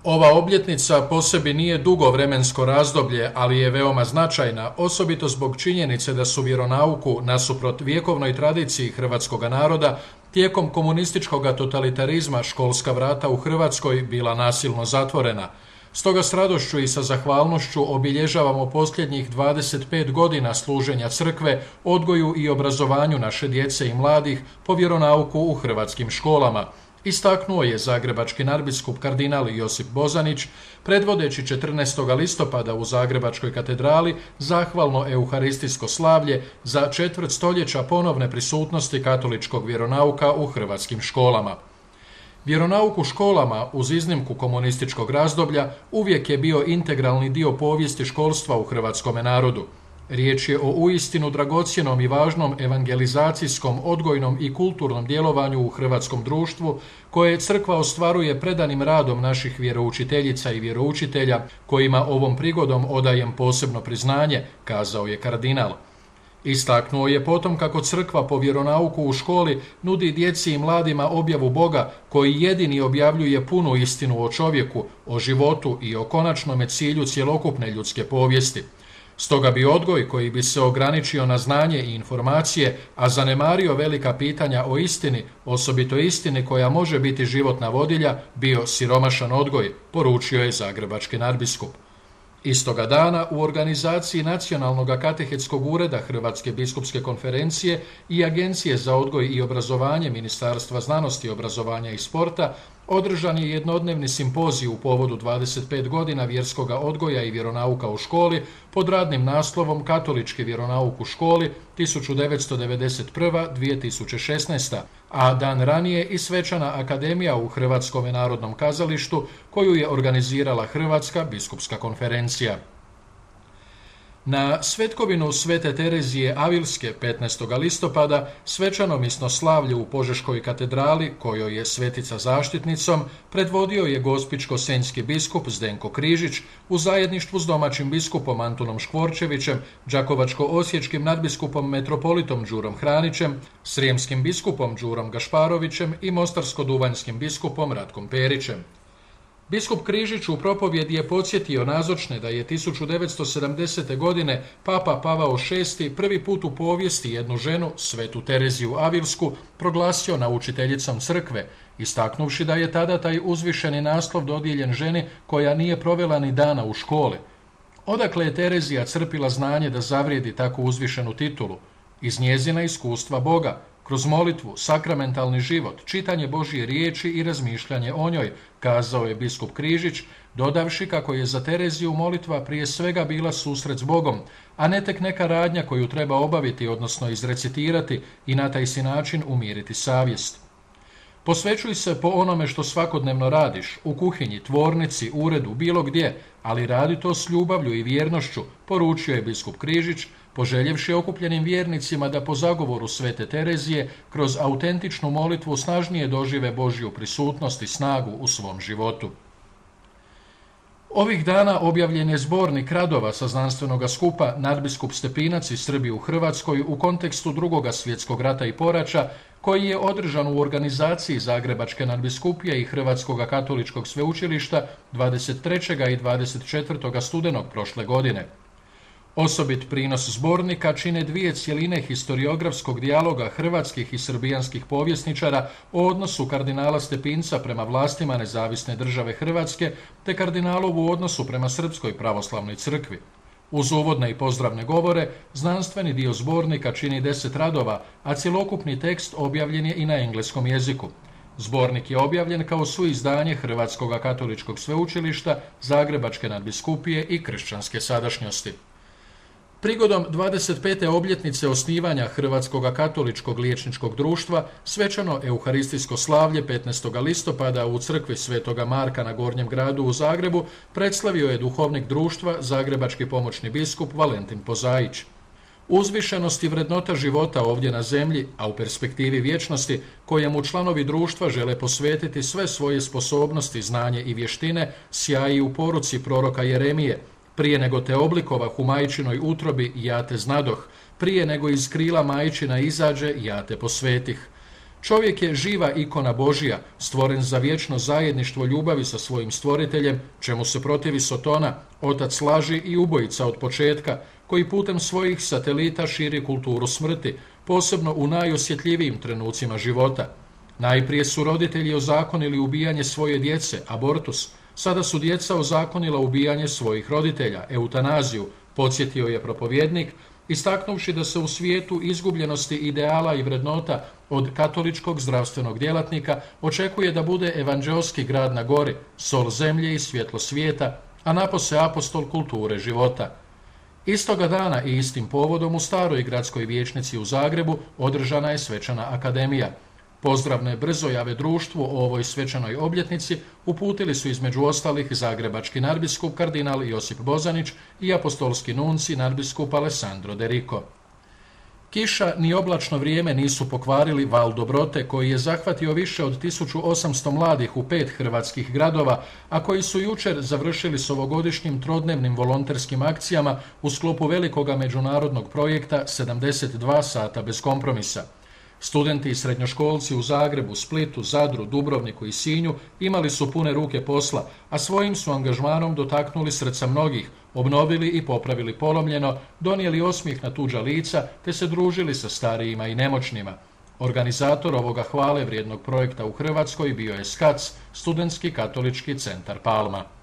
Ova obljetnica po sebi nije dugo vremensko razdoblje, ali je veoma značajna, osobito zbog činjenice da su vjeronauku, nasuprot vjekovnoj tradiciji hrvatskog naroda, tijekom komunističkog totalitarizma školska vrata u Hrvatskoj bila nasilno zatvorena. Stoga s radošću i sa zahvalnošću obilježavamo posljednjih 25 godina služenja crkve, odgoju i obrazovanju naše djece i mladih po vjeronauku u hrvatskim školama. Istaknuo je zagrebački nadbiskup kardinal Josip Bozanić, predvodeći 14. listopada u Zagrebačkoj katedrali zahvalno euharistijsko slavlje za četvrt stoljeća ponovne prisutnosti katoličkog vjeronauka u hrvatskim školama. Vjeronauk u školama, uz iznimku komunističkog razdoblja, uvijek je bio integralni dio povijesti školstva u hrvatskome narodu. Riječ je o uistinu dragocjenom i važnom evangelizacijskom, odgojnom i kulturnom djelovanju u hrvatskom društvu, koje crkva ostvaruje predanim radom naših vjeroučiteljica i vjeroučitelja, kojima ovom prigodom odajem posebno priznanje, kazao je kardinal. Istaknuo je potom kako crkva po vjeronauku u školi nudi djeci i mladima objavu Boga, koji jedini objavljuje punu istinu o čovjeku, o životu i o konačnome cilju cjelokupne ljudske povijesti. Stoga bi odgoj koji bi se ograničio na znanje i informacije, a zanemario velika pitanja o istini, osobito istini koja može biti životna vodilja, bio siromašan odgoj, poručio je zagrebački nadbiskup. Istoga dana u organizaciji Nacionalnog katehetskog ureda Hrvatske biskupske konferencije i Agencije za odgoj i obrazovanje Ministarstva znanosti, obrazovanja i sporta održan je jednodnevni simpozij u povodu 25 godina vjerskoga odgoja i vjeronauka u školi pod radnim naslovom Katolički vjeronauk u školi 1991-2016, a dan ranije i svečana akademija u Hrvatskom narodnom kazalištu koju je organizirala Hrvatska biskupska konferencija. Na svetkovinu Svete Terezije Avilske 15. listopada svečano misnoslavlje u Požeškoj katedrali, kojoj je svetica zaštitnicom, predvodio je gospićko-senjski biskup Zdenko Križić u zajedništvu s domaćim biskupom Antunom Škvorčevićem, đakovačko-osječkim nadbiskupom metropolitom Đurom Hranićem, srijemskim biskupom Đurom Gašparovićem i mostarsko-duvanjskim biskupom Ratkom Perićem. Biskup Križić u propovjedi je podsjetio nazočne da je 1970. godine Papa Pavao VI prvi put u povijesti jednu ženu, Svetu Tereziju Avilsku, proglasio naučiteljicom crkve, istaknuvši da je tada taj uzvišeni naslov dodijeljen ženi koja nije provela ni dana u školi. Odakle je Terezija crpila znanje da zavrijedi tako uzvišenu titulu? Iz njezina iskustva Boga, kroz molitvu, sakramentalni život, čitanje Božje riječi i razmišljanje o njoj, kazao je biskup Križić, dodavši kako je za Tereziju molitva prije svega bila susret s Bogom, a ne tek neka radnja koju treba obaviti, odnosno izrecitirati i na taj si način umiriti savjest. Posvećuj se po onome što svakodnevno radiš, u kuhinji, tvornici, uredu, bilo gdje, ali radi to s ljubavlju i vjernošću, poručio je biskup Križić, poželjevši okupljenim vjernicima da po zagovoru Svete Terezije kroz autentičnu molitvu snažnije dožive Božju prisutnost i snagu u svom životu. Ovih dana objavljen je zbornik radova sa znanstvenoga skupa Nadbiskup Stepinac iz Srbije u Hrvatskoj u kontekstu Drugog svjetskog rata i poraća, koji je održan u organizaciji Zagrebačke nadbiskupije i Hrvatskog katoličkog sveučilišta 23. i 24. studenog prošle godine. Osobit prinos zbornika čine dvije cjeline historiografskog dijaloga hrvatskih i srbijanskih povjesničara o odnosu kardinala Stepinca prema vlastima Nezavisne države Hrvatske te kardinalovu odnosu prema Srpskoj pravoslavnoj crkvi. Uz uvodne i pozdravne govore, znanstveni dio zbornika čini 10 radova, a cjelokupni tekst objavljen je i na engleskom jeziku. Zbornik je objavljen kao suizdanje Hrvatskog katoličkog sveučilišta, Zagrebačke nadbiskupije i kršćanske sadašnjosti. Prigodom 25. obljetnice osnivanja Hrvatskog katoličkog liječničkog društva, svečano euharistijsko slavlje 15. listopada u crkvi Svetoga Marka na Gornjem gradu u Zagrebu predslavio je duhovnik društva, zagrebački pomoćni biskup Valentin Pozaić. Uzvišenost i vrednota života ovdje na zemlji, a u perspektivi vječnosti, kojemu članovi društva žele posvetiti sve svoje sposobnosti, znanje i vještine, sjaji u poruci proroka Jeremije: prije nego te oblikovah u majčinoj utrobi, ja te znadoh, prije nego iz krila majčina izađe, ja te posvetih. Čovjek je živa ikona Božja, stvoren za vječno zajedništvo ljubavi sa svojim stvoriteljem, čemu se protivi Sotona, otac laži i ubojica od početka, koji putem svojih satelita širi kulturu smrti, posebno u najosjetljivijim trenucima života. Najprije su roditelji ozakonili ubijanje svoje djece, abortus, sada su djeca ozakonila ubijanje svojih roditelja, eutanaziju, podsjetio je propovjednik, istaknuvši da se u svijetu izgubljenosti ideala i vrednota od katoličkog zdravstvenog djelatnika očekuje da bude evanđeoski grad na gori, sol zemlje i svjetlo svijeta, a napose apostol kulture života. Istoga dana i istim povodom u staroj gradskoj vijećnici u Zagrebu održana je svečana akademija. Pozdravne brzojave društvu o ovoj svečanoj obljetnici uputili su između ostalih zagrebački nadbiskup kardinal Josip Bozanić i apostolski nunci nadbiskup Alessandro De Rico. Kiša ni oblačno vrijeme nisu pokvarili val dobrote koji je zahvatio više od 1800 mladih u 5 hrvatskih gradova, a koji su jučer završili s ovogodišnjim trodnevnim volonterskim akcijama u sklopu velikoga međunarodnog projekta 72 sata bez kompromisa. Studenti i srednjoškolci u Zagrebu, Splitu, Zadru, Dubrovniku i Sinju imali su pune ruke posla, a svojim su angažmanom dotaknuli srca mnogih, obnovili i popravili polomljeno, donijeli osmijeh na tuđa lica te se družili sa starijima i nemoćnima. Organizator ovoga hvale vrijednog projekta u Hrvatskoj bio je SKAC, Studentski katolički centar Palma.